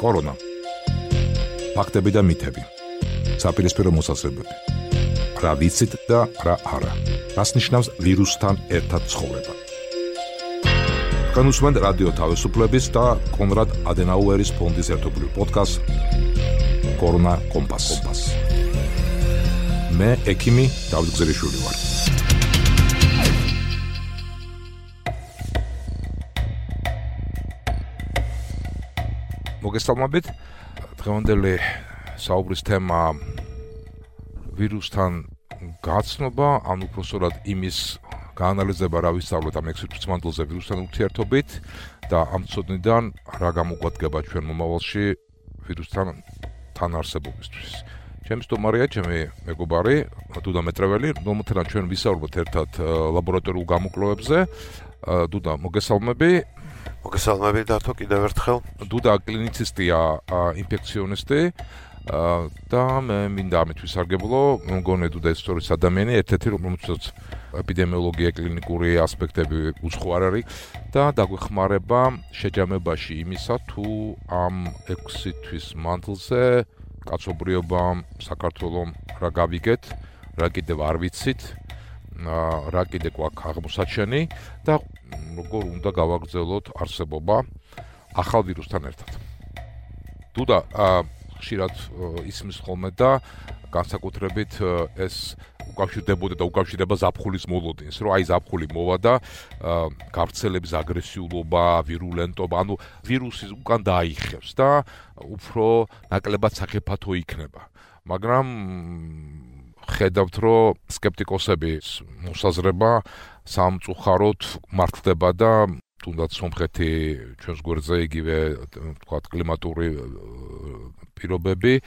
კორონა. ფაქტები და მითები. საპირისპირო მოსაზრებები. რა ვიცით და რა არა. რას ნიშნავს ვირუსთან ერთად ცხოვრება. განუსვენთ რადიო თავისუფლების და კონრად ადენაუერის ფონდის ერთობლივ პოდკასტ კორონა კომპას. მე ექიმი დავით გზერიშვილი ვარ. მოგესალმებით. დღევანდელი საუბრის თემა ვირუსთან გაცნობა, ან უпроსტად იმის გაანალიზება, რა ვისწავლეთ ამ 6 წუთმანძილზე ვირუსთან ურთიერთობით და ამ ცოდნიდან რა გამოგვადგება ჩვენ მომავალში ვირუსთან თანარსებობისთვის. ჩემი სტუმარია ჩემი მეგობარი დუდა მეტრეველი, რომელთან ჩვენ ვისაუბრებთ ერთად ლაბორატორიულ გამოკვლევებზე. დუდა, მოგესალმები. მოგესალმები დათო კიდევ ერთხელ. დუდა კლინიცისტია, ინფექციონისტი და მე მინდა ამით ვისარგებლო. მგონია დუდა ისტორიის ადამიანი, ერთ-ერთი რომელსაც ეპიდემიოლოგია, კლინიკური ასპექტები უცხო არ არის და დაგვეხმარება შეჯამებაში იმისა, თუ ამ 6 თვის მანძილზე კაცობრიობამ, საქართველომ რა გავიგეთ, რა კიდევ არ ვიცით, რა კიდე გვაქვს აღმოსაჩენი და როგორ უნდა გავაგრძელოთ არსებობა ახალ ვირუსთან ერთად. დუდა, ხშირად ისმის ხოლმე და განსაკუთრებით ეს უკავშირდებოდა და უკავშირდება ზაფხულის მოლოდინს, რომ აი ზაფხული მოვა და გავრცელების აგრესიულობა, ვირულენტობა, ანუ ვირუსი უკან დაიხევს და უფრო ნაკლებად სახიფათო იქნება. მაგრამ ხედავთ, რომ სკეპტიკოსების მოსაზრება სამწუხაროდ მართლდება და თუნდაც სომხეთი ჩვენს გვერდზე იგივე ვთქვათ კლიმატური პირობები,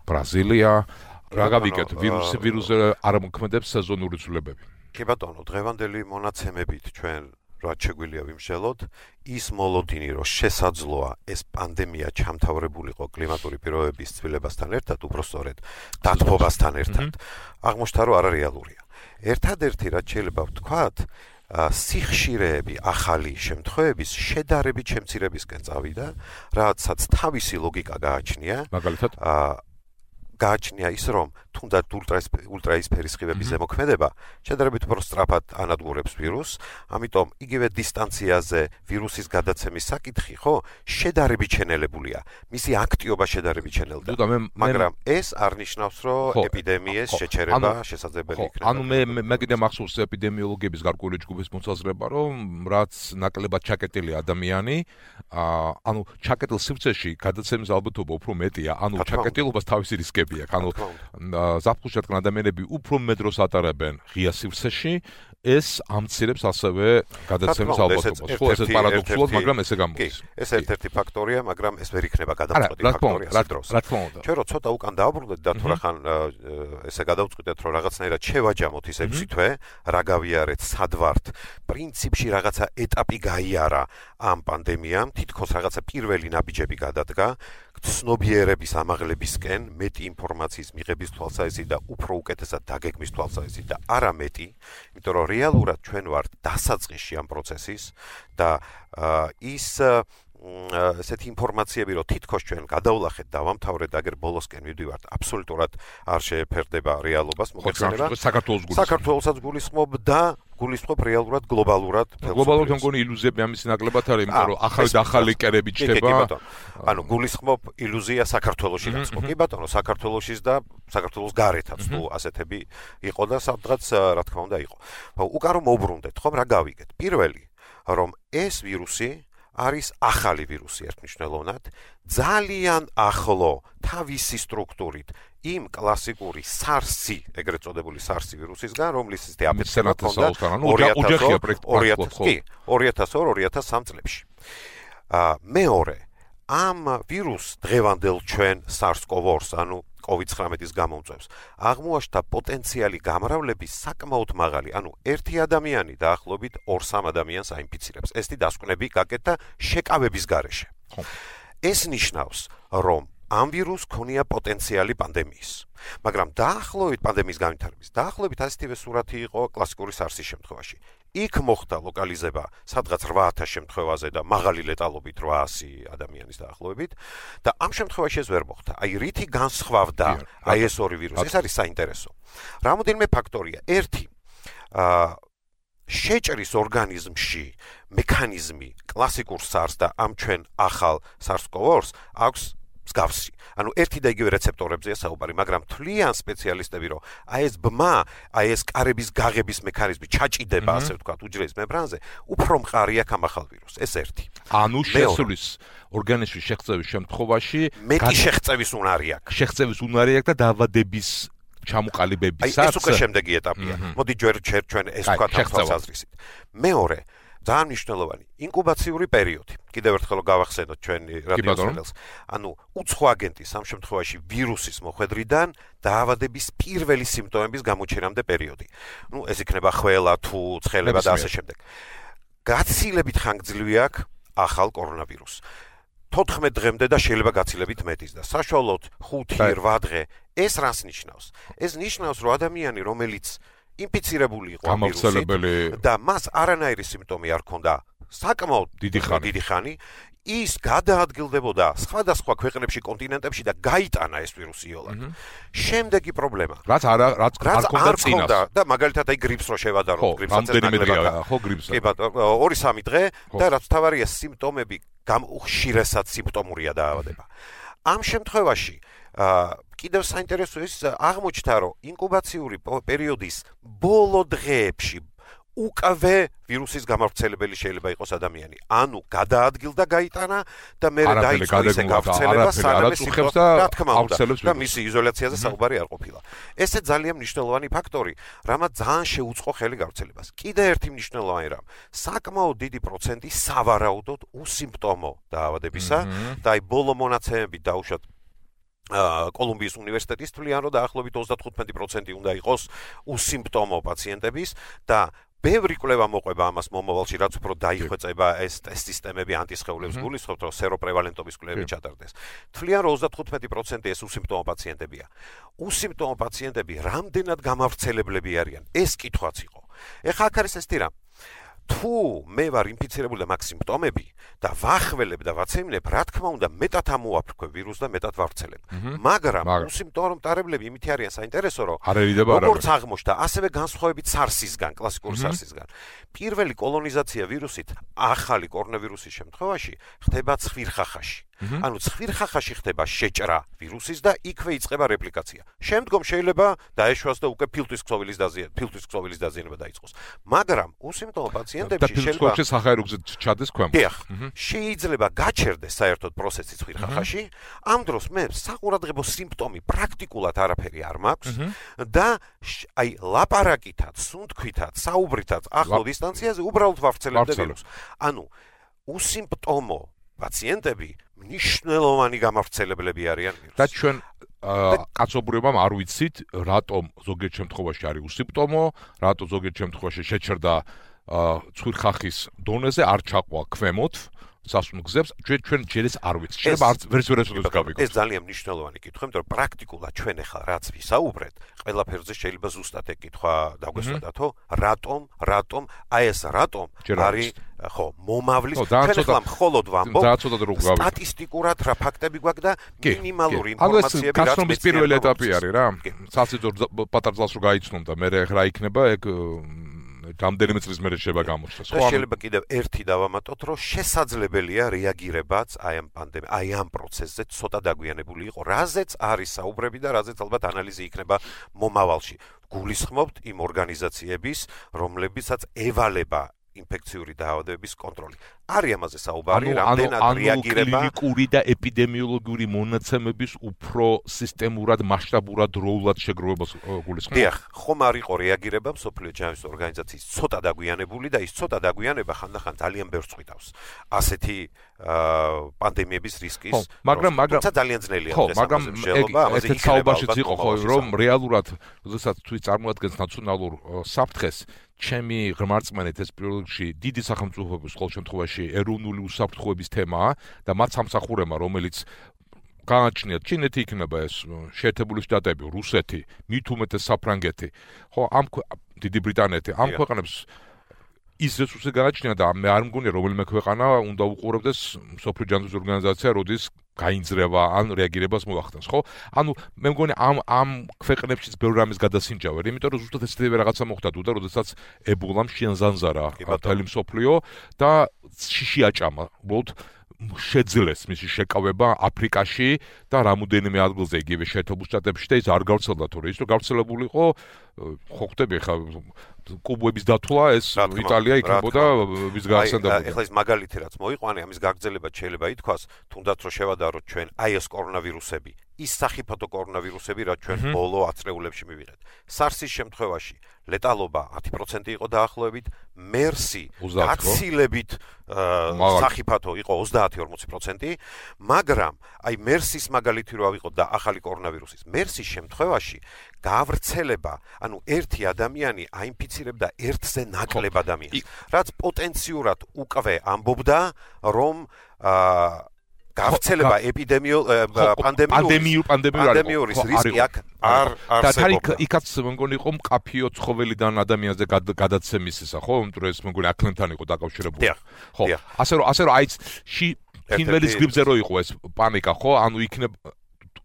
ბრაზილია, რა გავიგეთ, ვირუსზე არ მოქმედებს სეზონური ცვლილებები. კი ბატონო, დღევანდელი მონაცემებით ჩვენ რაც შეგვიძლია ვიმსჯელოთ, ის მოლოდინი, რომ შესაძლოა ეს პანდემია ჩამთავრებულიყო კლიმატური პირობების ცვლილებასთან ერთად, უпроსტოდ დათბობასთან ერთად, აღმოჩნდა, რომ არარეალურია. ერთადერთი რაც შეიძლება ვთქვათ, სიხშირეები ახალი შემთხვევების შედარებით შემცირებისკენ წავიდა, რაცაც თავისი ლოგიკა გააჩნია. მაგალითად, გააჩნია ის, რომ თუნდაც ულტრაისფერის სხივების ზემოქმედება შედარებით უფრო სწრაფად ანადგურებს ვირუსს, ამიტომ იგივე დისტანციაზე ვირუსის გადაცემის საკითხი, ხო, შედარებით შენელებულია. მისი აქტიობა შედარებით შენელდა. მაგრამ ეს არ ნიშნავს, რომ ეპიდემიის შეჩერება შესაძლებელი იქნება. ანუ მე კიდე მახსოვს ეპიდემიოლოგების გარკვეული ჯგუფის მოსაზრება, რომ რაც ნაკლებად ჩაკეტილი ადამიანი, ანუ ჩაკეტილ სივრცეში გადაცემის ალბათობა უფრო მეტია, ანუ ჩაკეტილობას თავისი რისკები აქვს. ანუ ზაფხულში რადგან ადამიანები უფრო მეტ დროს ატარებენ ღია სივრცეში, ეს ამცირებს ასევე გადაცემის ალბათობას. ხო, ეს პარადოქსულად, მაგრამ ესე გამოდის. ეს ერთ-ერთი ფაქტორია, მაგრამ ეს ვერ იქნება გადამწყვეტი ფაქტორია დროს. ჩვენ რო ცოტა უკან დააბრუნდეთ და თუ რახან ესე გადავწყვიტეთ, რომ რაღაცნაირად შევაჯამოთ ის 6 თვე, რა გავიარეთ, სად ვართ, პრინციპში რაღაცა ეტაპი გაიარა ამ პანდემიამ, თითქოს რაღაცა პირველი ნაბიჯები გადადგა, ცნობიერების ამაღლებისკენ, მეტი ინფორმაციის მიღების თვალსაზრისით და უფრო უკეთესად დაგეგმის თვალსაზრისით და არა მეტი, იმიტომ რომ რეალურად ჩვენ ვართ დასაწყისში ამ პროცესის და ის ესეთი ინფორმაციები, რომ თითქოს ჩვენ გადავლახეთ და ვამთავრეთ, აგერ ბოლოსკენ მივდივართ, აბსოლუტურად არ შეეფერდება რეალობას, მოგეხსენება. საქართველოსაც გულისხმობ და გულისხმობ რეალურად გლობალურად. გლობალურად მგონი ილუზიები ამის ნაკლებად არის, იმიტომ რომ ახალი კერები ჩდება. ანუ გულისხმობ ილუზია საქართველოში დაწყო. კი ბატონო, საქართველოშიც და საქართველოს გარეთაც თუ ასეთები იყო და სადღაც რა თქმა უნდა იყო. უკან რომ მოვბრუნდეთ, ხომ რა გავიგეთ? პირველი, რომ ეს ვირუსი არის ახალი ვირუსი ერთმნიშვნელოვნად, ძალიან ახლო თავისი სტრუქტურით იმ კლასიკური SARS-ი, ეგრეთ წოდებული SARS-ი ვირუსისგან, რომლის აფეთქება ჰქონდა 2002-2003 წლებში. მეორე, ამ ვირუსს დღევანდელ ჩვენ SARS-CoV-2-ს, ანუ COVID-19-ის გამომწვევს, აღმოაჩნდა პოტენციალი გამრავლების საკმაოდ მაღალი, ანუ ერთი ადამიანი დაახლოებით 2-3 ადამიანს აინფიცირებს. ესეთი დასკვნები გაკეთდა შეკავების გარეშე. ეს ნიშნავს, რომ ამ ვირუსს ქონია პოტენციალი პანდემიის. მაგრამ დაახლოებით პანდემიის განვითარების, დაახლოებით ასეთივე სურათი იყო კლასიკური SARS-ის შემთხვევაში. იქ მოხდა ლოკალიზება სადღაც 8000 შემთხვევაზე და მაღალი ლეტალობით 800 ადამიანის დაახლოებით და ამ შემთხვევაში ეს ვერ მოხდა. აი რითი განსხვავდა აი ეს ორი ვირუსი, ეს არის საინტერესო. რამოდენიმე ფაქტორია. ერთი შეჭრის ორგანიზმში მექანიზმი კლასიკურ SARS და ამ ჩვენ ახალ SARS-CoV-2-ს აქვს მსგავსი. ანუ ერთი და იგივე რეცეპტორებზეა საუბარი, მაგრამ თვლიან სპეციალისტები, რომ აი ეს ბმა, აი ეს კარების გაღების მექანიზმი ჩაჭიდება, ასე ვთქვათ, უჯრედის მემბრანზე, უფრო მყარია ამ ახალ ვირუსს. ეს ერთი. ანუ შესulis ორგანიზმის შეღწევის შემთხვევაში მეტი შეღწევის უნარი აქვს. შეღწევის უნარი აქვს და დაავადების ჩამოყალიბებისას. ეს უკვე შემდეგი ეტაპია. მოდი ჩვენ ეს ვთქვათ თვალსაზრისით. მეორე ძალიან მნიშვნელოვანი ინკუბაციური პერიოდი. კიდევ ერთხელ გავახსენოთ ჩვენი რადიოსმენელს. ანუ უცხო აგენტის ამ შემთხვევაში ვირუსის მოხვედრიდან დაავადების პირველი სიმპტომების გამოჩენამდე პერიოდი. ეს იქნება ხველა, თუ ცხელება და ასე შემდეგ. გაცილებით ხანგრძლივი აქვს ახალ კორონავირუსს. 14 დღემდე და შეიძლება გაცილებით მეტის და საშუალოდ 5-8 დღე. ეს რას ნიშნავს? ეს ნიშნავს, რომ ადამიანი, რომელიც ინფიცირებული იყო ამ ვირუსით და მას არანაირი სიმპტომი არ ჰქონდა საკმაოდ დიდი ხანი, ის გადაადგილდებოდა სხვადასხვა ქვეყნებში, კონტინენტებში და გაიტანა ეს ვირუსი იოლად. შემდეგი პრობლემა. რაც არ ჰქონდა წინას. და მაგალითად აი გრიპს რო შევადაროთ, გრიპსაც ნაკლებად. ხო, გრიპს. კი ბატონო, 2-3 დღე და რაც თავარია სიმპტომები ხშირესად სიმპტომურია დაავადება. ამ შემთხვევაში კიდევ საინტერესო ის აღმოჩნდა, რომ ინკუბაციური პერიოდის ბოლო დღეებში უკვე ვირუსის გამავრცელებელი შეიძლება იყოს ადამიანი. ანუ გადაადგილდა გაიტანა და მე დაიწყო ისე გავრცელება, სანამ სიმპტომები და მისი იზოლაციაზე საუბარი არ ყოფილა. ესე ძალიან მნიშვნელოვანი ფაქტორი, რამაც ძალიან შეუწყო ხელი გავრცელებას. კიდე ერთი მნიშვნელოვანი რამ, საკმაოდ დიდი პროცენტი სავარაუდოდ უსიმპტომო დაავადებისა და აი ბოლო მონაცემები დაუშვათ კოლუმბიის უნივერსიტეტის თვლიან, რომ დაახლოებით 35% უნდა იყოს უსიმპტომო პაციენტების და ბევრი კვლევა მოყვება ამას მომავალში, რაც უფრო დაიხვეწება ეს სისტემები ანტისხეულებს გულისხმობთ, რომ სეროპრევალენტობის კვლევები ჩატარდეს. თვლიან, რომ 35% ეს უსიმპტომო პაციენტებია. უსიმპტომო პაციენტები რამდენად გამავრცელებლები არიან? ეს კითხვაც იყო. ეხლა აქ არის ესეთი რამ. თუ მე ვარ ინფიცირებული და მაქვს სიმპტომები და ვახველებ და ვაცემლებ, რა თქმა უნდა, მეტად ამოვაფრქვე ვირუსს და მეტად ვავრცელებ. მაგრამ უსიმპტომო მტარებლები იმითი არიან საინტერესო, რომ როგორც აღმოჩნდა, ასევე განსხვავებით SARS-ისგან, კლასიკური SARS-ისგან. პირველი კოლონიზაცია ვირუსით ახალი კორონავირუსის შემთხვევაში ხდება ცხვირხახაში. ანუ ცხვირხახაში ხდება შეჭრა ვირუსის და იქვე იწყება რეპლიკაცია. შემდგომ შეიძლება დაეშვას და უკვე ფილტვის ქსოვილის დაზიანება დაიწყოს. მაგრამ უსიმპტომო პაციენტებში შეიძლება სახაეროზე ჩადეს ქვემოთ. შეიძლება გაჩერდეს საერთოდ პროცესი ცხვირხახაში. ამ დროს მე საყურადღებო სიმპტომი პრაქტიკულად არაფერი არ მაქვს და აი ლაპარაკითაც, სუნთქვითაც, საუბრითაც ახლო დისტანციაზე უბრალოდ ვავრცელებდა ვირუსს. ანუ უსიმპტომო პაციენტები მნიშვნელოვანი გამავრცელებლები არიან ვირუსს. და ჩვენ კაცობრიობამ არ ვიცით, რატომ ზოგიერთ შემთხვევაში არის უსიმპტომო, რატომ ზოგიერთ შემთხვევაში შეჩერდა ცხვირხახის დონეზე, არ ჩაყვა ქვემოთ. სასუნ გზებს ჩვენ ჯერ ეს არ ვიცით. შეიძლება არც ვერც გავიგოთ. ეს ძალიან მნიშვნელოვანი კითხვა, იმიტომ რომ პრაქტიკულად ჩვენ ახლა რაც ვისაუბრეთ, ყველაფერზე შეიძლება ზუსტად ეგ კითხვა დაგვესვადათო, რატომ, აი ეს რატომ არის ხო, მომავლის ჩვენ ახლა მხოლოდ ვამბობ. სტატისტიკურად რა ფაქტები გვაქვს და მინიმალური ინფორმაციები რაც გასწრობის პირველი ეტაპი არის რა. სასიძო პატარ ძალს რო გაიცნონ და მე რა იქნება ეგ რამდენიმე წლის მერე შეიძლება გამოჩნდეს. ხო, შეიძლება კიდევ ერთი დავამატოთ, რომ შესაძლებელია რეაგირებაც აი ამ პროცესზე ცოტა დაგვიანებული იყო, რაზეც არის საუბრები და რაზეც ალბათ ანალიზი იქნება მომავალში. გულისხმობთ იმ ორგანიზაციების, რომლებიცაც ევალება ინფექციური დაავადებების კონტროლი. არის ამაზე საუბარი, რამდენად რეაგირება კლინიკური და ეპიდემიოლოგიური მონაცემების უფრო სისტემურად, მასშტაბურად როულად შეგროვებას გულისხმობთ. დიახ, ხომ არ იყო რეაგირება მსოფლიო ჯანმრთელობის ორგანიზაციის ცოტა დაგვიანებული და ის ცოტა დაგვიანება ხანდახან ძალიან ბევრს წვითავს. ასეთი პანდემიების რისკის. მაგრამ ძალიან ძნელია დღეს ამაზე მსჯელობა, ამაზე იქნებაობაშიც იყო ხო, რომ რეალურად, როდესაც თუ წარმოადგენს ნაციონალურ საფრთხეს, ჩემი ღმერთმენით ეს პირველში დიდი სახელმწიფოების ყოველ შემთხვევაში ეროვნული უსაფრთხოების თემაა და მათ სამსახურებმა, რომელიც გააჩნიათ ჩინეთი იქნება ეს შეერთებული შტატები, რუსეთი, მით უმეტეს საფრანგეთი, ხო, დიდი ბრიტანეთი, ამ ქვეყნებს ის რესურსი გააჩნია და მე არ მგონია რომელიმე ქვეყანა უნდა უყურებდეს მსოფლიო ჯანდაცვის ორგანიზაცია, როდის გაინძრევა ან რეაგირებას მოახდენს, ხო? ანუ მე მგონი ამ ქვეყნებშიც ბევრი რამის გადასინჯავენ, იმიტომ რომ ზუსტად ესეთი რაღაცა მოხდა თუ და როდესაც ებოლამ შეანზანზარა მთელი მსოფლიო და შიში აჭამა, უბრალოდ შეძლეს მისი შეკავება აფრიკაში და რამოდენიმე ადგილზე იგივე შეერთებულ შტატებში და ის არ გავრცელდა თორე ის რომ გავრცელებული იყო ხო ხდები ხა კუბების დათვლა ეს იტალია იქნებოდა ვის გაახსენდებოდა ეხლა ის მაგალითი რაც მოიყვანე ამის გაგრძელება შეიძლება ითქვას თუნდაც რომ შევადაროთ ჩვენ აი ეს კორონავირუსები ის სახიფათო კორონავირუსები რაც ჩვენ ბოლო ათწლეულებში მივიღეთ SARS-ის შემთხვევაში ლეტალობა 10% იყო დაახლოებით MERS-ი გაცილებით სახიფათო იყო 30-40%, მაგრამ აი MERS-ის მაგალითი რო ავიღოთ და ახალი კორონავირუსის MERS-ის შემთხვევაში გავრცელება, ანუ ერთი ადამიანი აინფიცირებდა ერთზე ნაკლებ ადამიანს, რაც პოტენციურად უკვე ამბობდა, რომ გავრცელება პანდემიურის რისკი აქ არ არსებობდა. და იქაც მგონი იყო მკაფიო ცხოველიდან ადამიანზე გადაცემის ისა, ხო? იმიტომ რომ ეს მგონი აქლემთან იყო დაკავშირებული. ხო. ასე რომ აიც ფინველის გრიპზე რო იყო ეს პანიკა, ხო? ანუ იქნებ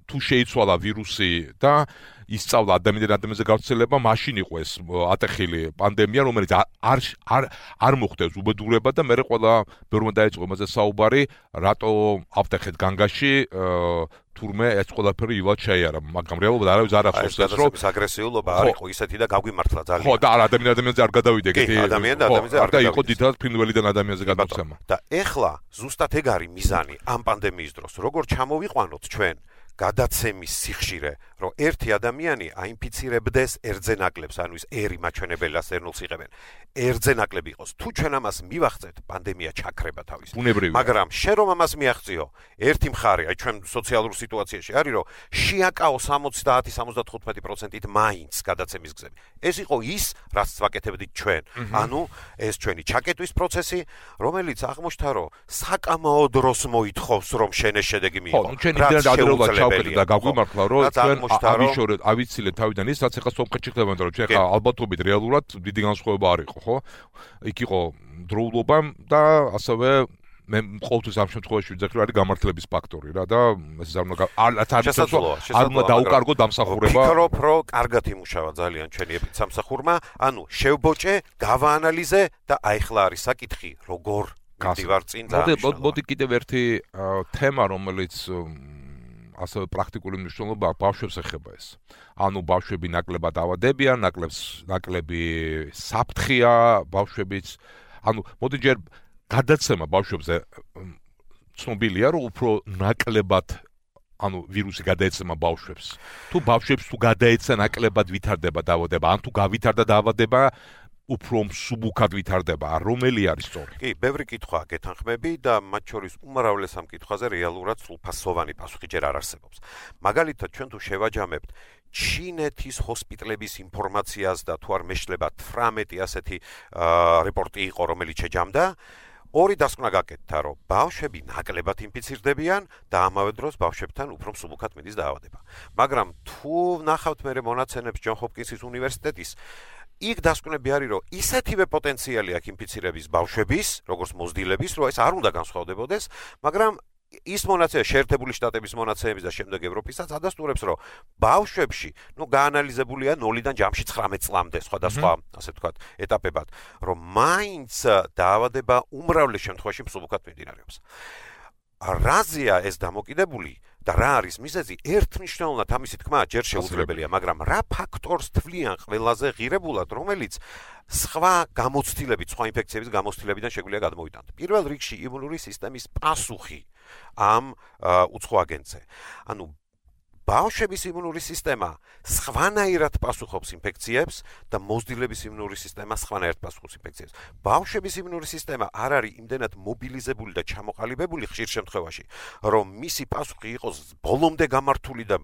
თუ შეიცვალა ვირუსი და ისწავლა ადამიანზე გავრცელება, მაშინ იყო ეს ატეხილი პანდემია, რომელიც არ მოხდეს უბედურება და მე ყველა ბევრმა დაიწყო იმაზე საუბარი, რატო ავტეხეთ განგაში თურმე ეს ყველაფერი ივლად შეიარა, მაგრამ რეალურად არავის არ ახსოვს ეს რომ აგრესიულობა არ იყო ისეთი და გაგვიმართლა ძალიან. ხო და ადამიანზე არ გადავიდე ეგეთი. ადამიანზე არ და იყო დიდად ფრინველიდან ადამიანზე გადაცემა. და ეხლა ზუსტად ეგ არის მიზანი ამ პანდემიის დროს, როგორ ჩამოვიყვანოთ ჩვენ გადაცემის სიხშირე, რომ ერთი ადამიანი აინფიცირებდეს ერთზე ნაკლებს, ანუ ის ერი მაჩვენებელას ერნულს იღებენ. ერთზე ნაკლები იყოს. თუ ჩვენ ამას მივახცეთ, პანდემია ჩაქრება თავის. მაგრამ შენ რომ ამას მიაღწიო, ერთი მხარე, აი ჩვენ სოციალურ სიტუაციაში არის, რომ შეაკაო 70-75%-ით მაინც გადაცემის გზები. ეს იყო ის, რაც ვაკეთებდით ჩვენ. ანუ ეს ჩვენი ჩაკეტვის პროცესი, რომელიც აღმოჩნდა, რომ საკამაო დროს მოითხოვს, რომ შენ ეს შედეგი მიიღო. ხო, ჩვენ იმდენად ადრეულად ჩავკეტეთ და გაგვიმართლა, რომ ჩვენ ავიშორეთ, ავიცილეთ თავიდან ის, რაც ეხლა სომხეთში ხდებოდა, რომ ჩვენ ხა ალბათობით რეალურად დიდი განსხვავება არ იყო, ხო? იქ იყო დროულობა და ასევე მე ყოველთვის ამ შემთხვევაში ვიძახი, რომ არის გამართლების ფაქტორი რა და ეს არ უნდა დაუკარგო დამსახურება. ვფიქრობ, რომ კარგად იმუშავა ძალიან ჩვენი ეპიდსამსახურმა, ანუ შევბოჭე, გავაანალიზე და აიხლა არის საკითხი, როგორ მივდივარ წინ და მოდი კიდევ ერთი თემა, რომელიც ასევე პრაქტიკული მნიშვნელობა ბავშვებს ეხება ეს. ანუ ბავშვები ნაკლებად ავადებიან, ნაკლები საფრთხეა ბავშვებიც. ანუ მოდი ჯერ გადაცემა ბავშვებზე ცნობილია, რომ უფრო ნაკლებად ანუ ვირუსი გადაეცემა ბავშვებს. თუ ბავშვებს თუ გადაეცა ნაკლებად ვითარდება დაავადება, ან თუ გავითარდა დაავადება უფრო მსუბუქად ვითარდება, რომელი არის სწორი? კი, ბევრი კითხვაა გეთანხმები და მათ შორის უმრავლეს ამ კითხვაზე რეალურად სრულფასოვანი პასუხი ჯერ არ არსებობს. მაგალითად, ჩვენ თუ შევაჯამებთ ჩინეთის ჰოსპიტალების ინფორმაციას და თუ არ მეშლება 18 ასეთი რეპორტი იყო, რომელიც შეჯამდა, ორი დასკვნა გაკეთდა, რომ ბავშვები ნაკლებად ინფიცირდებიან და ამავე დროს ბავშვებთან უფრო მსუბუქად მიდის დაავადება. მაგრამ თუ ნახავთ მე მონაცემებს ჯონ ჰოპკინსის უნივერსიტეტის იქ დასკვნები არის, რომ ისეთივე პოტენციალი აქვს ინფიცირების ბავშვების, როგორც მოზრდილების, რომ ეს არ უნდა განსხვავდებოდეს, მაგრამ ის მონაცემა შეერთებული შტატების მონაცემების და შემდეგ ევროპისაც ადასტურებს, რომ ბავშვებში, გაანალიზებულია 0-დან ჯამში 19 წლამდე, სხვადასხვა, ასე ვთქვათ, ეტაპებად, რომ მაინც დაავადება უმრავლეს შემთხვევაში მსუბუქად მიმდინარეობს. რაზეა ეს დამოკიდებული და რა არის მიზეზი? ერთმნიშვნელოვნად ამისი თქმა ჯერ შეუძლებელია, მაგრამ რა ფაქტორს თვლიან ყველაზე ღირებულად, რომელიც სხვა გამოცდილებით, სხვა ინფექციების გამოცდილებიდან შეგვიძლია გადმოვიტანოთ. პირველ რიგში იმუნური სისტემის პასუხი ამ უცხო აგენტზე. ანუ ბავშვების იმუნური სისტემა სხვანაირად პასუხობს ინფექციებს და მოზრდილების იმუნური სისტემა სხვანაირად პასუხობს ინფექციებს. ბავშვების იმუნური სისტემა არ არის იმდენად მობილიზებული და ჩამოყალიბებული ხშირ შემთხვევაში, რომ მისი პასუხი იყოს ბოლომდე გამართული და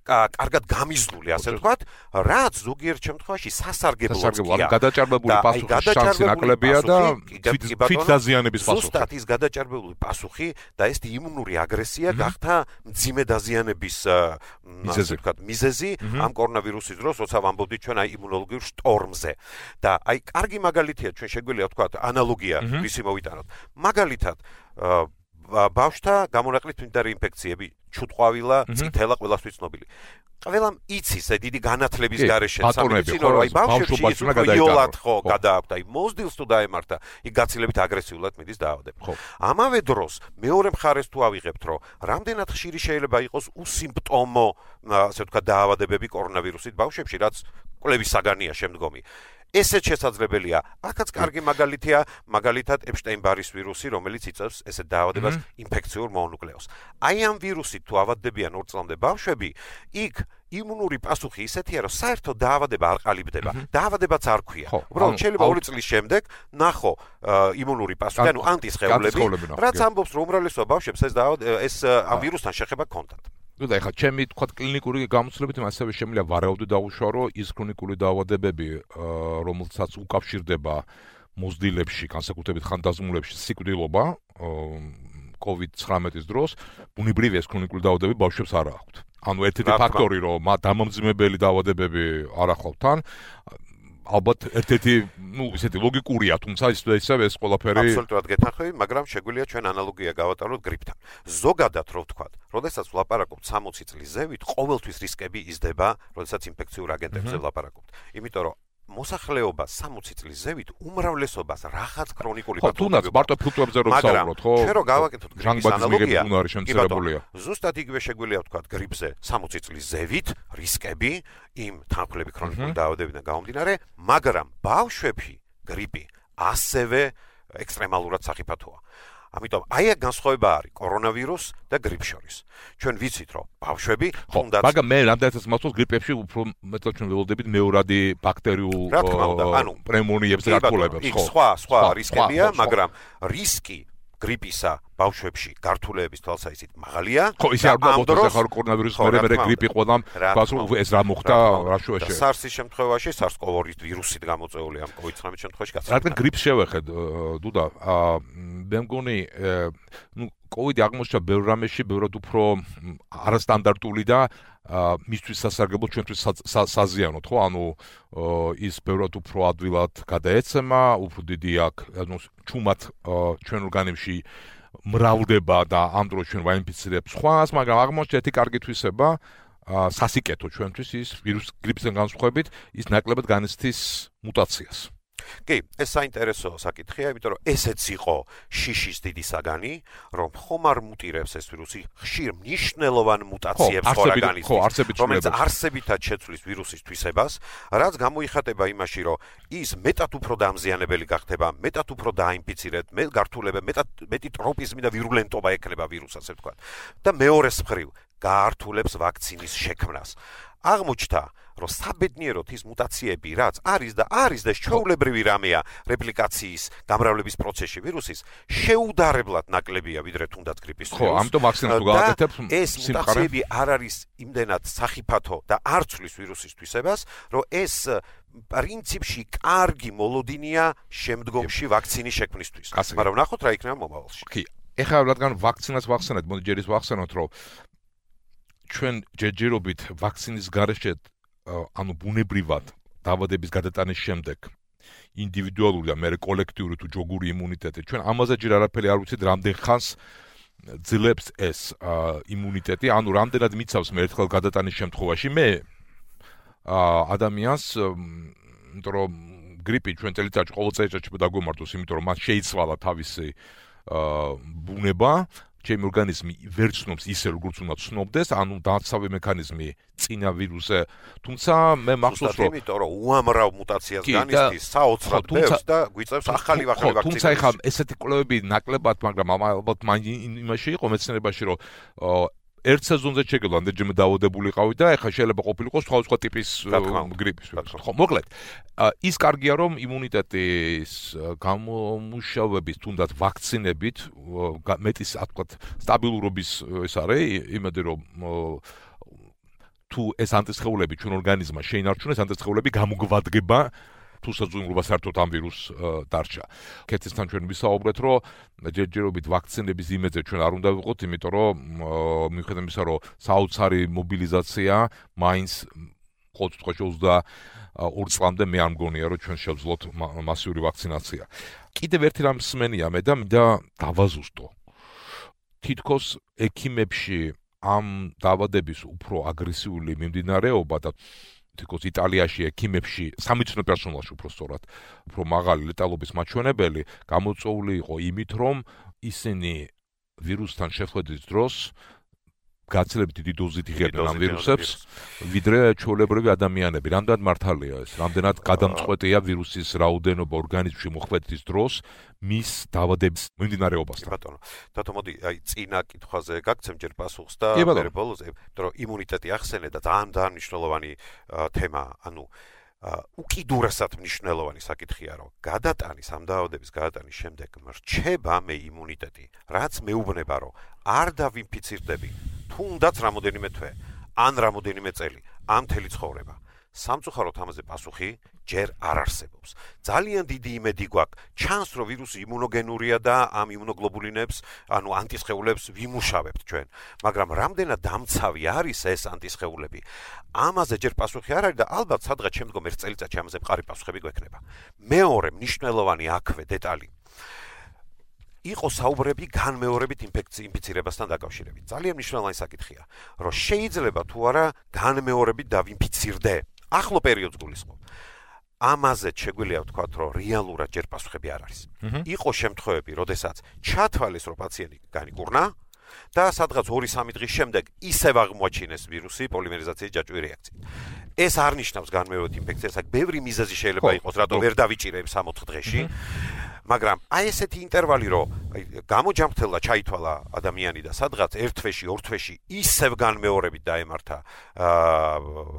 კარგად გამიზნული, ასე ვთქვათ, რაც ზოგიერთ შემთხვევაში სასარგებლოა. გადაჭარბებული პასუხის შანსი ნაკლებია და თვით დაზიანების პასუხი. ზუსტად ის გადაჭარბებული პასუხი და ეს იმუნური აგრესია გახდა მძიმე დაზიანების ასე ვთქვათ, მიზეზი ამ კორონავირუსის დროს, როცა ვამბობდით ჩვენ აი იმუნოლოგიურ შტორმზე. და აი კარგი მაგალითია ჩვენ შეგვიძლია ვთქვათ ანალოგია ვისი მოვიტანოთ. მაგალითად ბავშვთა გამონაკლისს მიმდინარე ინფექციები, ჩუტყვავილა, წითელა ყველასთვის ცნობილი. ყველამ იცის ეს დიდი განათლების გარეშე სამედიცინო რომ აი ბავშვებში ის იოლად ხო გადააქვთ აი მოზდილს თუ დაემართა იქ გაცილებით აგრესიულად მიდის დაავადება. ამავე დროს მეორე მხარეს თუ ავიღებთ რომ რამდენად ხშირი შეიძლება იყოს უსიმპტომო ასე ვთქვათ დაავადებები კორონავირუსით ბავშვებში რაც კვლევის საგანია შემდგომი. ესეც შესაძლებელია. აქაც კარგი მაგალითია, მაგალითად ეპშტაინ-ბარის ვირუსი, რომელიც იწვევს ესეთ დაავადებას ინფექციურ მონუკლეოს. აი ამ ვირუსით თუ ავადდებიან 2 წლამდე ბავშვები, იქ იმუნური პასუხი ისეთია, რომ საერთოდ დაავადება არ ყალიბდება. დაავადებაც არ ქვია. უბრალოდ შეიძლება 2 წლის შემდეგ ნახო იმუნური პასუხი, ანუ ანტისხეულები, რაც ამბობს, რომ უმრავლესობა ბავშვებს ეს ამ ვირუსთან შეხება ჰქონდათ. და ეხლა ჩემი თქვა კლინიკური გამოცდილებით ასევე შემიძლია ვარაუდი დავუშვა, რომ ის ქრონიკული დაავადებები, რომელსაც უკავშირდება მოზდილებში, განსაკუთრებით ხანდაზმულებში სიკვდილობა COVID-19 დროს, ბუნებრივია ეს ქრონიკული დაავადებები ბავშვებს არ აქვთ. ანუ ერთ-ერთი ფაქტორი, რომ დამამძიმებელი დაავადებები არ ახლავთ თან, ალბათ ერთ-ერთი, ისეთი ლოგიკურია, თუმცა ისევ ეს ყველაფერი აბსოლუტურად გეთანხმები, მაგრამ შეგვიძლია ჩვენ ანალოგია გავატაროთ გრიპთან. ზოგადად რო ვთქვათ, როდესაც ვლაპარაკობთ 60 წლის ზევით, ყოველთვის რისკები იზრდება, როდესაც ინფექციურ აგენტებზე ვლაპარაკობთ. იმიტომ რომ მოსახლეობა 60 წლის ზევით უმრავლესობას რაღაც ქრონიკული პათოლოგია. თუნდაც მარტო ფუტუებზე რომ ვსაუბროთ, ხო? ჩვენ რო გავაკეთოთ გრიპის ანალოგია, შემცირებულია. ზუსტად იგივე შეგვიძლია ვთქვათ გრიპზე 60 წლის ზევით რისკები იმ თანხმლები ქრონიკული დაავადებიდან გამომდინარე, მაგრამ ბავშვებში გრიპი ასევე ექსტრემალურად სახიფათოა. ამიტომ აი აქ განსხვავება არის კორონავირუს და გრიპს შორის. ჩვენ ვიცით რომ ბავშვები თუნდაც მაგრამ მე რამდენადაც მართავს გრიპებში უფრო მეტად ჩვენ ველოდებით მეორადი ბაქტერიულ პნეუმონიებს გართულებებს ხო. სხვა რისკებია, მაგრამ რისკი გრიპისა ბავშვებში გართულების თვალსაზრისით მაღალია. ხო, ისე არ მოხდა ხარ კორონავირუსის მერე გრიპი ყველამ გასულ ეს რა მოხდა რა შუაში. SARS-ის შემთხვევაში SARS-CoV-2 ვირუსით გამოწვეული ამ COVID-19 შემთხვევაში გასა. რადგან გრიპს შევეხეთ, დუდა, მე მგონი, COVID აღმოჩნდა ბევრ რამეში, ბევრად უფრო არასტანდარტული და მისთვის სასარგებლო, ჩვენთვის საზიანოდ, ხო? ანუ ის ბევრად უფრო ადვილად გადაეცემა, უფრო დიდი აქვს, ანუ ჩუმად ჩვენ ორგანიზმში მრავლდება და ამ დროს ჩვენ ვაინფიცირებს სხვას, მაგრამ აღმოჩნდა ერთი კარგი თვისება, სასიკეთო ჩვენთვის ის ვირუს გრიპისგან განსხვავებით, ის ნაკლებად განიცდის მუტაციას. კი, ეს საინტერესო საკითხია, იმიტომ რომ ესეც იყო შიშის დიდი საგანი, რომ ხომ არ მუტირებს ეს ვირუსი ხშირ მნიშვნელოვან მუტაციებს ხო ორგანიზმში, რომელიც არსებითად შეცვლის ვირუსის თვისებას, რაც გამოიხატება იმაში, რომ ის მეტად უფრო დამზიანებელი გახდება, მეტად უფრო დაინფიცირებთ, გართულება, მეტი ტროპიზმი და ვირულენტობა ექნება ვირუსს, ასე ვთქვათ. და მეორეს მხრივ გაართულებს ვაქცინის შექმნას. აღმოჩნდა, რომ საბედნიეროდ ის მუტაციები, რაც არის და ჩვეულებრივი რამეა რეპლიკაციის, გამრავლების პროცესში ვირუსის, შეუდარებლად ნაკლებია ვიდრე თუნდაც გრიპის ვირუსი. ხო, ამიტომ ვაქცინას თუ გააკეთებ, ეს მუტაციები არ არის იმდენად სახიფათო და არ ცვლის ვირუსის თვისებას, რომ ეს პრინციპში კარგი მოლოდინია შემდგომში ვაქცინის შექმნისთვის. მაგრამ ნახოთ რა იქნება მომავალში. კი, ეხლა რადგან ვაქცინას ვახსენეთ, მოდი ჯერ ის ვახსენოთ, რომ ჩვენ ჯერჯერობით ვაქცინის გარეშე ანუ ბუნებრივად დაავადების გადატანის შემდეგ ინდივიდუალური და მე კოლექტიური თუ ჯოგური იმუნიტეტი ჩვენ ამაზე ჯერ არაფერი არ ვიცით რამდენ ხანს ძლებს ეს იმუნიტეტი ანუ რამდენად მიცავს მე ერთხელ გადატანის შემთხვევაში მე ადამიანს იმიტომ რომ გრიპი ჩვენ წელიწადში ყოველ წელიწადში დაგვემართოს იმიტომ რომ მას შეიცვალა თავისი ბუნება ჩემი ორგანიზმი ვერ ცნობს ისე როგორც უნდა ცნობდეს, ანუ დაცავი მექანიზმი წინა ვირუსზე, თუმცა მე მახსოვს რომ იმიტომ რომ უამრავ მუტაციას განიცდის საოცრად ბევრს და გვიწევს ახალი ვაქცინები. თუმცა ეხლა ესეთი კვლევები ნაკლებად, მაგრამ ალბათ იმაში იყო მეცნიერებაში რომ ერთ სეზონზე შეგეძლო ამდენჯერმე დაავადებულიყავი და ეხლა შეიძლება ყოფილიყო სხვა ტიპის გრიპის ვირუსი. ხო, მოკლედ, ის კარგია რომ იმუნიტეტის გამომუშავების თუნდაც ვაქცინებით მეტის თქვა სტაბილურობის ეს არის, იმედი რომ თუ ეს ანტისხეულები ჩვენ ორგანიზმმა შეინარჩუნეს, ანტისხეულები გამოგვადგება თუსაც უიმრობა საერთოდ ამ ვირუსს დარჩა. კეთილთან ჩვენ ვისაუბრეთ, რომ ჯერჯერობით ვაქცინების იმედზე ჩვენ არ უნდა ვიყოთ, იმიტომ რომ მიუხედავად იმისა, რომ საოცარი მობილიზაცია მაინც ყოველ შემთხვევაში 22 წლამდე მე არ მგონია, რომ ჩვენ შევძლოთ მასიური ვაქცინაცია. კიდევ ერთი რამ მსმენია მე და მინდა დავაზუსტო. თითქოს ექიმებში ამ დაავადების უფრო აგრესიული მიმდინარეობა და თითქოს იტალიაში ექიმებში სამედიცინო პერსონალში უფრო სწორად უფრო მაღალი ლეტალობის მაჩვენებელი გამოწვეული იყო იმით, რომ ისინი ვირუსთან შეხვედრის დროს გაცილებით დიდი დოზით იღებდნენ ამ ვირუსებს, ვიდრე ჩვეულებრივი ადამიანები. რამდენად მართალია ეს? რამდენად გადამწყვეტია ვირუსის რაოდენობა ორგანიზმში მოხვედრის დროს მის დაავადების მიმდინარეობასთან? ბატონო, დათო მოდი, წინა კითხვაზე გაგცემ ჯერ პასუხს და მე ბოლოზე, იმიტომ რომ იმუნიტეტი ახსენე და ძალიან მნიშვნელოვანი თემაა, ანუ უკიდურესად მნიშვნელოვანი საკითხია, რომ გადატანის ამ დაავადების გადატანის შემდეგ მრჩება მე იმუნიტეტი, რაც მეუბნება, რომ არ დავინფიცირდები თუნდაც რამოდენიმე თვე, ან რამოდენიმე წელი, ან მთელი ცხოვრება. სამწუხაროდ ამაზე პასუხი ჯერ არ არსებობს. ძალიან დიდი იმედი გვაქვს, ჩანს რომ ვირუსი იმუნოგენურია და ამ იმუნოგლობულინებს, ანუ ანტისხეულებს ვიმუშავებთ ჩვენ. მაგრამ რამდენად დამცავი არის ეს ანტისხეულები? ამაზე ჯერ პასუხი არ არის და ალბათ სადღაც შემდგომ ერთ წელიწადში ამაზე მყარი პასუხები გვექნება. მეორე მნიშვნელოვანი აქვე დეტალი იყო საუბრები განმეორებით ინფიცირებასთან დაკავშირებით. ძალიან მნიშვნელოვანი საკითხია, რომ შეიძლება თუ არა განმეორებით დავინფიცირდე. ახლო პერიოდს გულისხმობ. ამაზე შეგვიძლია ვთქვათ, რომ რეალურად ჯერ პასუხები არ არის. იყო შემთხვევები, როდესაც ჩათვალეს, რომ პაციენტი განიკურნა და სადღაც 2-3 დღის შემდეგ ისევ აღმოაჩინეს ვირუსი პოლიმერიზაციის ჯაჭვური რეაქციით. ეს არ ნიშნავს განმეორებით ინფექციას, აქ ბევრი მიზეზი შეიძლება იყოს, რატომ ვერ დავიჭირებ 3-4 დღეში. მაგრამ აი ესეთი ინტერვალი, რომ გამოჯამრთელდა, ჩაითვალა ადამიანი და სადღაც 1 თვეში, 2 თვეში ისევ განმეორებით დაემართა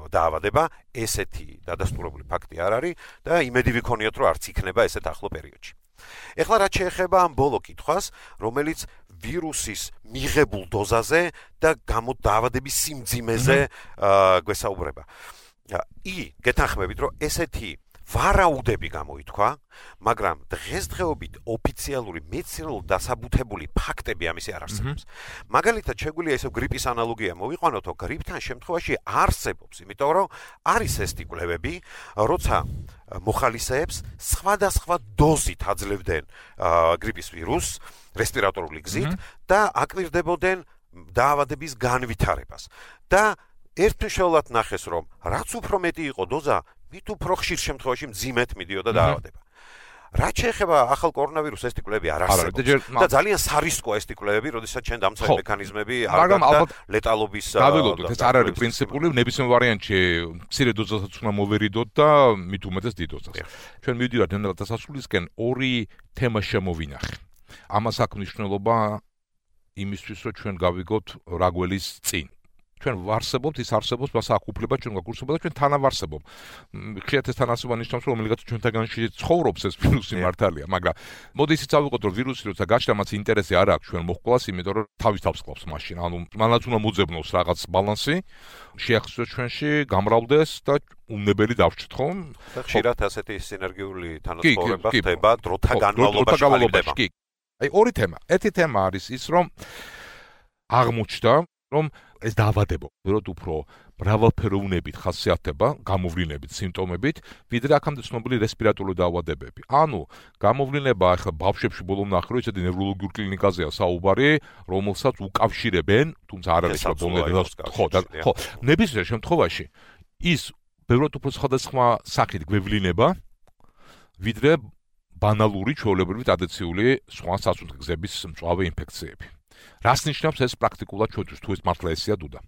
დაავადება, ესეთი დადასტურებული ფაქტი არ არის და იმედი ვიქონიოთ, რომ არც იქნება ესეთ ახლო პერიოდში. ეხლა რაც შეეხება ამ ბოლო კითხვას, რომელიც ვირუსის მიღებულ დოზაზე და დაავადების სიმძიმეზე გვესაუბრება. გეთანხმებით, რომ ესეთი ვარაუდები გამოითქვა, მაგრამ დღესდღეობით ოფიციალური მეცნიერულად დასაბუთებული ფაქტები ამისი არ არსებობს. მაგალითად, შეგვიძლია ისევ გრიპის ანალოგია მოვიყვანოთ, რომ გრიპთან შემთხვევაში არსებობს, იმიტომ რომ არის ეს კვლევები, როცა მოხალისეებს სხვადასხვა დოზით აძლევდნენ გრიპის ვირუსს რესპირატორული გზით და აკვირდებოდნენ დაავადების განვითარებას. და ერთმნიშვნელოვნად ნახეს, რომ რაც უფრო მეტი იყო დოზა, მით უფრო ხშირ შემთხვევაში მძიმედ მიდიოდა დაავადება. რაც შეეხება ახალ კორონავირუსს, ეს კვლევები არ არსებობს და ძალიან სარისკოა ეს კვლევები, როდესაც ჩვენ დამცავი მექანიზმები არ გაქვს ლეტალობის გავილოდოთ, ეს არ არის პრინციპული, ნებისმიერ ვარიანტში მცირე დოზასაც უნდა მოვერიდოთ და მით უმეტეს დიდ დოზას. ჩვენ მივიდივართ ნელ დასასრულისკენ, ორი თემა შემოვინახე. ამას აქვს მნიშვნელობა იმისთვის, რომ ჩვენ გავიგოთ რა გველის წინ. ჩვენ ვარსებობთ, ის არსებობს, მას აქვს უფლება ჩვენ გაგურსება და ჩვენ თანავარსებობ. ხშირად ეს თანასწორობა ნიშნავს, რომ რომელიღაც ჩვენთაგანში ცხოვრობს ეს ვირუსი მართალია, მაგრამ მოდი ისიც ავიღოთ, რომ ვირუსი როცა გაჩნდა, მას ინტერესი არ აქვს ჩვენ მოჰყოლას, იმიტომ რომ თავის თავს ყავს მაშინ. ანუ მანაც უნდა მოძებნოს რაღაც ბალანსი, შეახსოვოს ჩვენში, გამრავლდეს და უნებელი დავჭრთ ხომ? ხშირად ასეთი სინერგიული თანაცხოვრება ხდება დროთა განმავლობაში. აი ორი თემა. ერთი თემა არის ის, რომ აღმოჩნდა, რომ ეს დაავადება ვეროდ უფრო მრავალფეროვნებით ხასიათდება, გამოვლინებით, სიმპტომებით, ვიდრე აქამდე ცნობილი რესპირატორული დაავადებები. ანუ გამოვლინება ახლა ბავშვებში ბოლომ ნახე, რომ ესეთი ნევროლოგიურ კლინიკაზეა საუბარი, რომელსაც უკავშირებენ, თუმცა არ არის ბოლომდე ხო, ნებისმიერ შემთხვევაში ის ვეროდ უფრო სხვადასხვა სახით გვევლინება, ვიდრე ბანალური ჩვეულებრივი ტრადიციული სხვა სასუნთქგზების მწვავე ინფექციები. რას ნიშნავს ეს პრაქტიკულად ჩვენთვის, თუ ეს მართლა ესეა დუდა?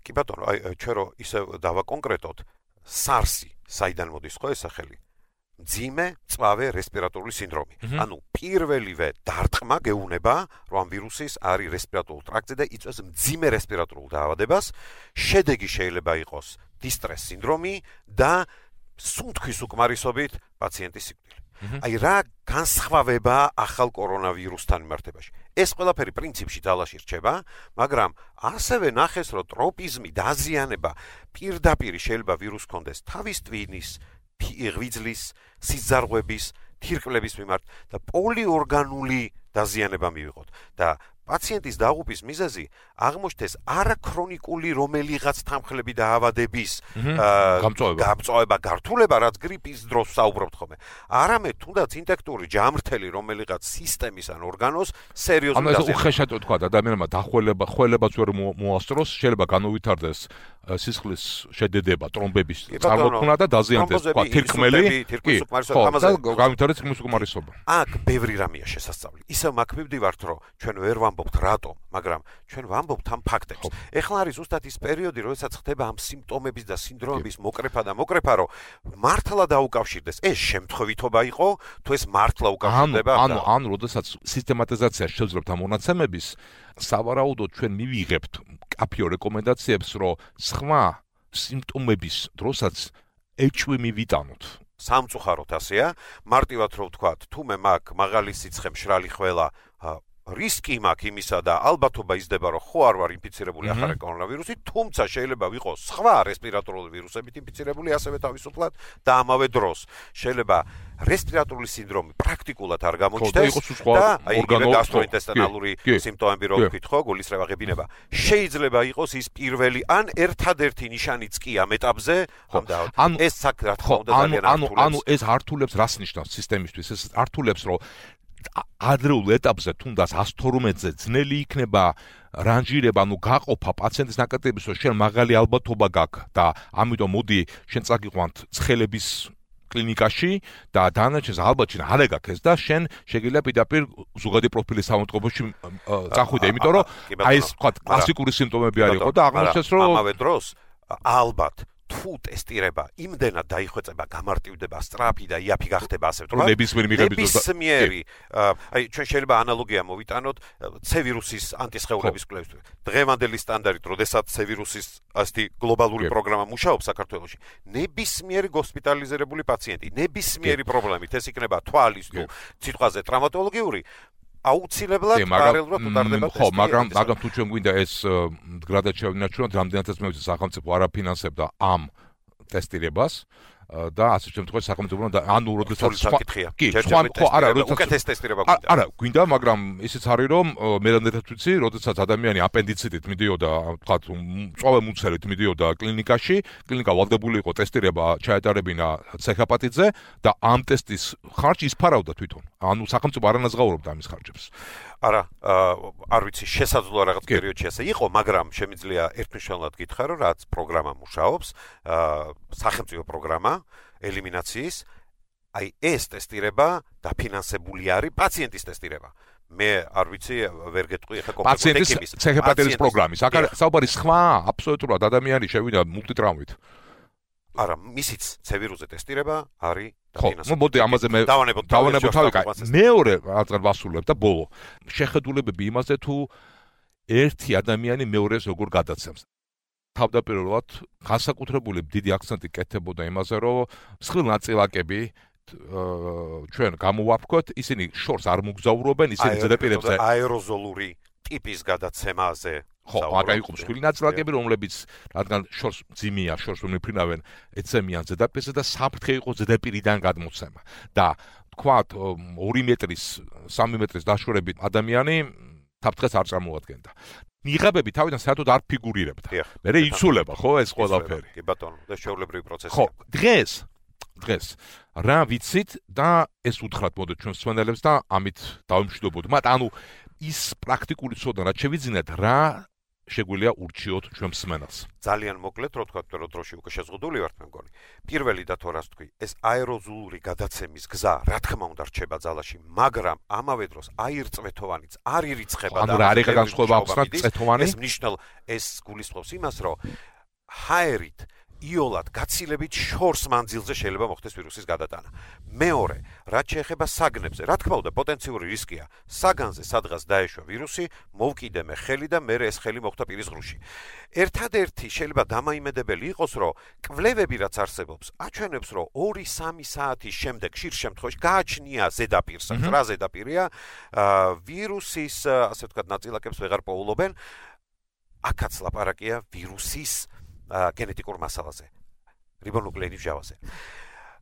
კი ბატონო, აი ჩვენ რო ისევ დავაკონკრეტოთ, SARS-ი, საიდან მოდის ხო ეს სახელი? მძიმე მწვავე რესპირატორული სინდრომი. ანუ პირველივე დარტყმა გეუნება, რომ ამ ვირუსის არის რესპირატორულ ტრაქტზე და იწვევს მძიმე რესპირატორულ დაავადებას. შედეგი შეიძლება იყოს დისტრეს სინდრომი და სუნთქვის უკმარისობით პაციენტის სიკვდილი. აი რა განსხვავება ახალ კორონავირუსთან მიმართებაში. ეს ყველაფერი პრინციპში ძალაში რჩება, მაგრამ ასევე ნახეს, რომ ტროპიზმი, დაზიანება პირდაპირ შეიძლება ვირუსს ჰქონდეს თავის ტვინის, ღვიძლის, სიზარღვების, თირკმლების მიმართ და პოლიორგანული დაზიანება მივიღოთ და პაციენტის დაღუპვის მიზეზი აღმოჩნდეს არაქრონიკული რომელიღაც თანხლები და ავადების გამწვავება, გართულება, რაც გრიპის დროს საუბრობთ ხოლმე. არამედ თუნდაც ინტექტური ჯამრთელი რომელიღაც სისტემის ან ორგანოს სერიოზული დაზიანება. ანუ უხეშად თქვა ადამიანმა დახველებაც ვერ მოასწროს, შეიძლება განუვითარდეს სისხლის შედედება, ტრომბების წარმოქმნა და დაზიანდეს, თქვა, თირკმელი, განუვითარდეს თირკმლის უკმარისობა. აქ ბევრი რამეა შესასწავლი. ისევ მაგ მივდივართ, რომ ჩვენ ვერ ვამბობთ რატომ, მაგრამ ჩვენ ვამბობთ ამ ფაქტებს. ეხლა არის ზუსტად ის პერიოდი, როდესაც ხდება ამ სიმპტომების და სინდრომების მოკრეფა, რომ მართლა დაუკავშირდეს. ეს შემთხვევითობა იყო, თუ ეს მართლა უკავშირდება? ანუ როდესაც სისტემატიზაცია შევძლებთ ამ მონაცემების, სავარაუდოდ ჩვენ მივიღებთ კაფეო რეკომენდაციებს, რომ სხვა სიმპტომების დროსაც ეჭვი მივიტანოთ. სამწუხაროდ ასეა, მარტივად რომ ვთქვათ, თუ მე მაგ მაღალი სიცხე, მშრალი ხველა, რისკი მაქვს იმისა და ალბათობა იზრდება, რომ ხო არ ვარ ინფიცირებული ახალი კორონავირუსით, თუმცა შეიძლება ვიყოს სხვა რესპირატორული ვირუსებით ინფიცირებული ასევე თავისუფლად და ამავე დროს შეიძლება რესპირატორული სინდრომი პრაქტიკულად არ გამოჩნდეს და გასტროინტესტინალური სიმპტომები რო ვთქვით ხო, გულისრევა-ღებინება, შეიძლება იყოს ის პირველი ან ერთადერთი ნიშანიც კი ამ ეტაპზე, ეს რა თქმა უნდა ძალიან ართულებს. ანუ ეს ართულებს რას ნიშნავს სისტემისთვის? ეს ართულებს, რომ ადრეულ ეტაპზე თუნდაც 112-ზე ძნელი იქნება რანჟირება, ანუ გაყოფა პაციენტის ნაკრებების, რომ შენ მაღალი ალბათობა გაქვს და ამიტომ მოდი შენ წაგიყვანთ ცხელების კლინიკაში და დანარჩენს ალბათ შენ არ ეგაქეს და შენ შეგიძლია პირდაპირ ზოგადი პროფილის სამონტყობოში წახვიდე, იმიტომ რომ აი ეს თქვა კლასიკური სიმპტომები არ იყო და აღმოჩნდეს რომ ამავე დროს ალბათ თუ ტესტირება იმდენად დაიხვეწება, გამარტივდება, სწრაფი და იაფი გახდება, ასე ვთქვათ. ნებისმიერი, აი ჩვენ შეიძლება ანალოგია მოვიტანოთ C ვირუსის ანტისხეულების კვლევისთვის. დღევანდელი სტანდარტით, როდესაც C ვირუსის ასეთი გლობალური პროგრამა მუშაობს საქართველოში, ნებისმიერი ჰოსპიტალიზირებული პაციენტი, ნებისმიერი პრობლემით, ეს იქნება თვალის თუ სიტყვაზე ტრავმატოლოგიური, აუცილებლად პარალელურად უტარდება ტესტი. ხო, მაგრამ თუ ჩვენ გვინდა ეს მდგრადად შევინარჩუნოთ, რამდენადაც მე ვიცი სახელმწიფო არ აფინანსებდა ამ ტესტირებას და ასე შემთხვევაში სახელმწიფო და ანუ როდესაც უკეთეს ტესტირება გვინდა. არა, გვინდა, მაგრამ ისიც არის რომ მე რამდენადაც ვიცი, როდესაც ადამიანი აპენდიციტით მიდიოდა, ვთქვათ, მწვავე მუცელით მიდიოდა კლინიკაში, კლინიკა ვალდებული იყო ტესტირება ჩაეტარებინა ცეჰაპატიტზე და ამ ტესტის ხარჯი ისფარავდა თვითონ. ანუ სახელმწიფო არ ანაზღაურებდა ამის ხარჯებს. არა, არ ვიცი, შესაძლოა რაღაც პერიოდში ასე იყო, მაგრამ შემიძლია ერთმნიშვნელოვნად გითხრა, რომ რაც პროგრამა მუშაობს, სახელმწიფო პროგრამა ელიმინაციის, აი ეს ტესტირება დაფინანსებული არის პაციენტის ტესტირება. მე არ ვიცი, ვერ გეტყვი ახლა კონკრეტულად ეკიპის ცეჰაპატიტის პროგრამის. აქ არის საუბარი სხვა, აბსოლუტურად ადამიანი შევიდა მულტიტრაუმით. არა, მისიც C ვირუსზე ტესტირება არის ხო, მოდი ამაზე მე დავანებოთ თავი. მეორე რადგან ვასრულებ და ბოლო. შეხედულებები იმაზე თუ ერთი ადამიანი მეორეს როგორ გადაცემს. თავდაპირველად განსაკუთრებული დიდი აქცენტი კეთებოდა იმაზე, რომ მსხვილ ნაწილაკები ჩვენ გამოვაფრქვეთ, ისინი შორს არ მოგზაურობენ, ისინი ზედაპირებზე აეროზოლური ტიპის გადაცემაზე. ხო, მაგა იყო მსხვილი ნაწილაკები, რომლებიც რადგან შორს ძიმია, შორს მომიფრინავენ, ეცემიან ზედაპირზე და საფრთხე იყო ზედაპირიდან გადმოცემა. და თქვათ 2 მეტრის, 3 მეტრის დაშორებით ადამიანი საფრთხეს არ წარმოადგენდა. მიღებები თავიდან საერთოდ არ ფიგურირებდა. მერე იცულება, ხო, ეს ყველაფერი. კი ბატონო, და შეულებრივი პროცესია. ხო, დღეს რა ვიცით და ეს უთხრათ მოდით ჩვენ მსმენელებს და ამით დავიმშვიდობოთ. ანუ ის პრაქტიკული ცოდნა რაც შევიძინეთ, რა შეგვიძლია ურჩიოთ ჩვენ მსმენელს. ძალიან მოკლედ, რო თქვა, რომ დროში უკვე შეზღუდული ვართ მე მგონი. პირველი და თორას თქვი, ეს აეროზოლური გადაცემის გზა, რა თქმა უნდა, რჩება ძალაში, მაგრამ ამავე დროს აირწვეთოვანიც არ ირიცხება და რა არის განსხვავება აქვს წვეთოვანი? ეს ნიშნავს, ეს გულისხმობს იმას, რომ ჰაერით იოლად გაცილებით შორს მანძილზე შეიძლება მოხდეს ვირუსის გადატანა. მეორე, რაც შეეხება საგნებზე, რა თქმა უნდა, პოტენციური რისკია. საგანზე სადღაც დაეშვა ვირუსი, მოვკიდე მე ხელი და მე ეს ხელი მოხვდა პირის ღრუში. ერთადერთი შეიძლება დამაიმედებელი იყოს, რომ კვლევები რაც არსებობს, აჩვენებს, რომ 2-3 საათის შემდეგ ხშირ შემთხვევაში გააჩნია ზედაპირს, რა ზედაპირია, ვირუსის, ასე ვთქვათ, ნაწილაკებს ვეღარ პოულობენ. აქაც ლაპარაკია ვირუსის გენეტიკურ მასალაზე, რიბონუკლეინის მჟავაზე.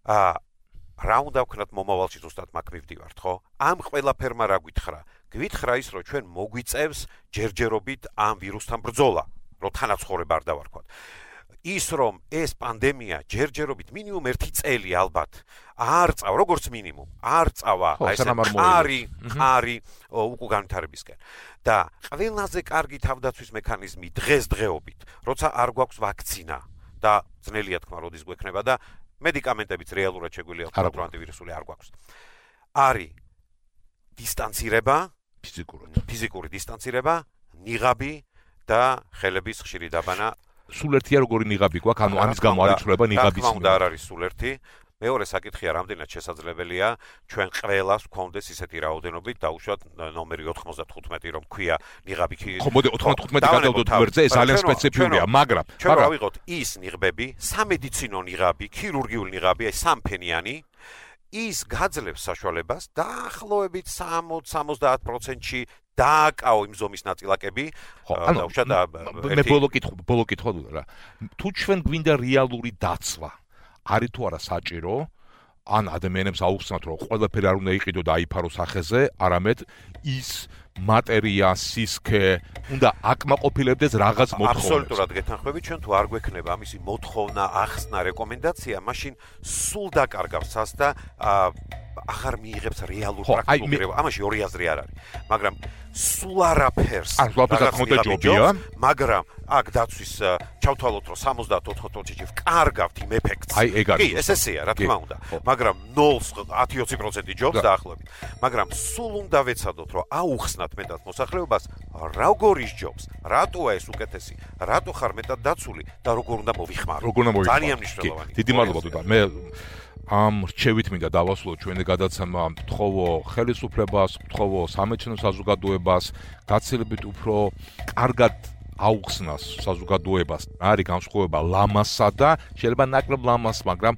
რა უნდა ვქნათ მომავალში ზუსტად მაგ მივდივართ, ხო? ამ ყველაფერმა რა გვითხრა? გვითხრა ის, რომ ჩვენ მოგვიწევს ჯერჯერობით ამ ვირუსთან ბრძოლა, რომ თანაცხოვრება არ დავარქვათ. ის რომ ეს პანდემია ჯერჯერობით მინიმუმ 1 წელი ალბათ არ წავა, როგორც მინიმუმ, არ წავა ეს ყარი უკუ განვითარებისკენ. და ყველაზე კარგი თავდაცვის მექანიზმი დღესდღეობით, როცა არ გვაქვს ვაქცინა და ძნელია თქმა, როდის გვექნება და მედიკამენტებიც რეალურად შეგვიძლია ვთქვათ, რომ ანტივირუსული არ გვაქვს. არის დისტანცირება, ფიზიკური დისტანცირება, ნიღაბი და ხელების ხშირი დაბანა. სულ ერთია როგორი ნიღაბი გვაქვს, ანუ ამის გამო არ იცვლება ნიღაბის. თქმა უნდა არ არის სულ ერთი. მეორე საკითხია, რამდენად შესაძლებელია ჩვენ ყველას გვქონდეს ისეთი რაოდენობით, დაუშვათ ნომერი 95 რომ ქვია ნიღაბი. ხო, მოდი 95 გადავდოთ გვერდზე, ეს ძალიან სპეციფიურია, მაგრამ ჩვენ რა ვიღოთ ის ნიღბები, სამედიცინო ნიღაბი, ქირურგიული ნიღაბი, აი სამფენიანი ის გაძლევს საშუალებას დაახლოებით 60-70%-ში დააკაო იმ ზომის ნაწილაკები. მე ბოლო კითხვა რა. თუ ჩვენ გვინდა რეალური დაცვა, არის თუ არა საჭირო ან ადამიანებს აუხსნათ, რომ ყველაფერი არ უნდა იყიდო და აიფარო სახეზე, არამედ ის მატერია, სისქე უნდა აკმაყოფილებდეს რაღაც მოთხოვნებს. აბსოლუტურად გეთანხმები, ჩვენ თუ არ გვექნება ამისი მოთხოვნა, ახსნა, რეკომენდაცია, მაშინ სულ დაკარგავს ას და აღარ მიიღებს რეალურ პრაქტიკულ რევოლუციას. ამაში ორი აზრი არ არის. მაგრამ სულ არაფერს მაგრამ აქ დაცვის ჩავთვალოთ, რომ 70-80%-ში ვკარგავთ იმ ეფექტს. კი, ეს ესეა, რა თქმა უნდა. მაგრამ 0-10-20% ჯობს დაახლოებით. მაგრამ სულ უნდა ვეცადოთ, რომ აუხსნათ მეტად მოსახლეობას, როგორ ისჯობს, რატოა ეს უკეთესი, რატო ხარ მეტად დაცული და როგორ უნდა მოვიხმარო. ძალიან მნიშვნელოვანია. დიდი მადლობა თუდა. მე ამ რჩევით მინდა დავასრულო ჩვენი გადაცემა, მთხოვო ხელისუფლებას, მთხოვო სამეცნიერო საზოგადოებას, გაცილებით უფრო კარგად აუხსნას საზოგადოებას, არის განსხვავება ლამასა და შეიძლება ნაკლებ ლამას, მაგრამ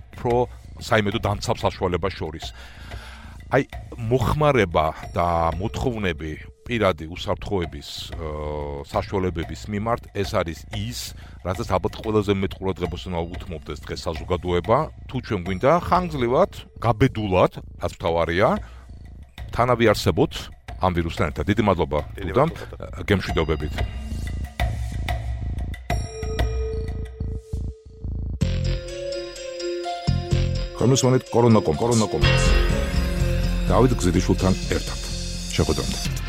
უფრო საიმედო დამცავ საშუალებას შორის. აი, მოხმარება და მოთხოვნები პირადი უსაფრთხოების საშუალებების მიმართ ეს არის ის, რასაც ალბათ ყველაზე მეტ ყურადღებას უნდა უთმობდეს დღეს საზოგადოება. თუ ჩვენ გვინდა ხანგრძლივად, გაბედულად, რაც მთავარია, თანავე არსებოთ ამ ვირუსთან ერთად. დიდი მადლობა თუდამ, გემშვიდობებით. კომისიონით კორონაკომ. დავით გზირიშვილთან ერთად. შეხვედრამდე.